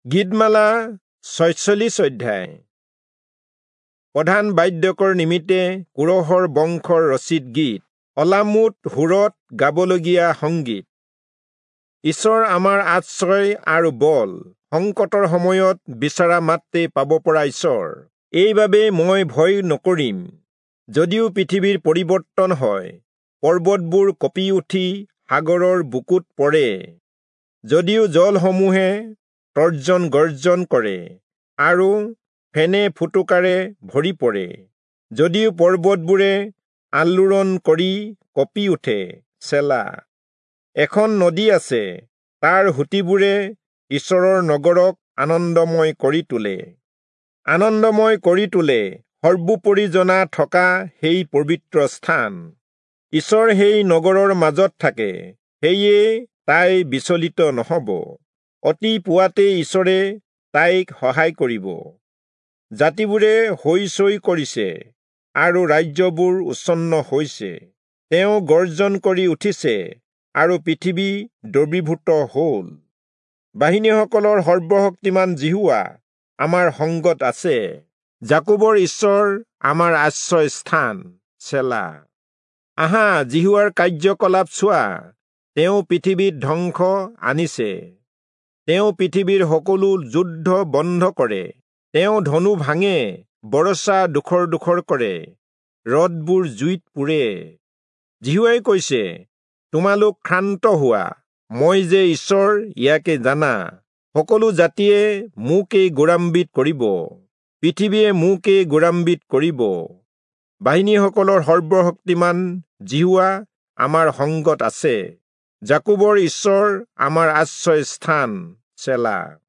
গীতমালা 46 অধ্যায়। প্ৰধান বাদ্যকৰ নিমিত্তে কোৰহৰ বংশৰ ৰচিত গীত, অলামুট সুৰত গাবলগীয়া সংগীত। ঈশ্বৰ আমাৰ আশ্ৰয় আৰু বল, সংকটৰ সময়ত বিচৰা মাত্ৰেই পাব পৰা ঈশ্বৰ। এইবাবে মই ভয় নকৰিম, যদিও পৃথিৱীৰ পৰিৱৰ্তন হয়, পৰ্বতবোৰ কঁপি উঠি সাগৰৰ বুকুত পৰে, যদিও জলসমূহে তৰ্জন গৰ্জন কৰে আৰু ফেনে ফুটুকাৰে ভৰি পৰে, যদিও পৰ্বতবোৰে আলোড়ন কৰি কঁপি উঠে। চেলা। এখন নদী আছে, তাৰ সুঁতিবোৰে ঈশ্বৰৰ নগৰক আনন্দময় কৰি তোলে, আনন্দময় কৰি তোলে সৰ্বোপৰি জনা থকা সেই পবিত্ৰ স্থান। ঈশ্বৰ সেই নগৰৰ মাজত থাকে, সেয়ে তাই বিচলিত নহ'ব। অতি পুৱাতেই ঈশ্বৰে তাইক সহায় কৰিব। জাতিবোৰে হৈ চৈ কৰিছে আৰু ৰাজ্যবোৰ উচ্ছন্ন হৈছে। তেওঁ গৰ্জন কৰি উঠিছে আৰু পৃথিৱী দ্ৰৱীভূত হ'ল। বাহিনীসকলৰ সৰ্বশক্তিমান যিহোৱা আমাৰ সংগত আছে, যাকোবৰ ঈশ্বৰ আমাৰ আশ্ৰয় স্থান। চেলা। আহা, যিহোৱাৰ কাৰ্যকলাপ চোৱা, তেওঁ পৃথিৱীত ধ্বংস আনিছে। তেওঁ পৃথিৱীৰ সকলো যুদ্ধ বন্ধ কৰে। তেওঁ ধনু ভাঙে, বৰছা ডোখৰ ডোখৰ কৰে, ৰথবোৰ জুইত পুৰে। যিহোৱাই কৈছে, তোমালোক ক্ষান্ত হোৱা, মই যে ঈশ্বৰ ইয়াকে জানা। সকলো জাতিয়ে মোকেই গৌৰৱান্বিত কৰিব, পৃথিৱীয়ে মোকেই গৌৰৱান্বিত কৰিব। বাহিনীসকলৰ সৰ্বশক্তিমান যিহোৱা আমাৰ সংগত আছে, যাকোবৰ ঈশ্বৰ আমাৰ আশ্ৰয় স্থান। চেলা।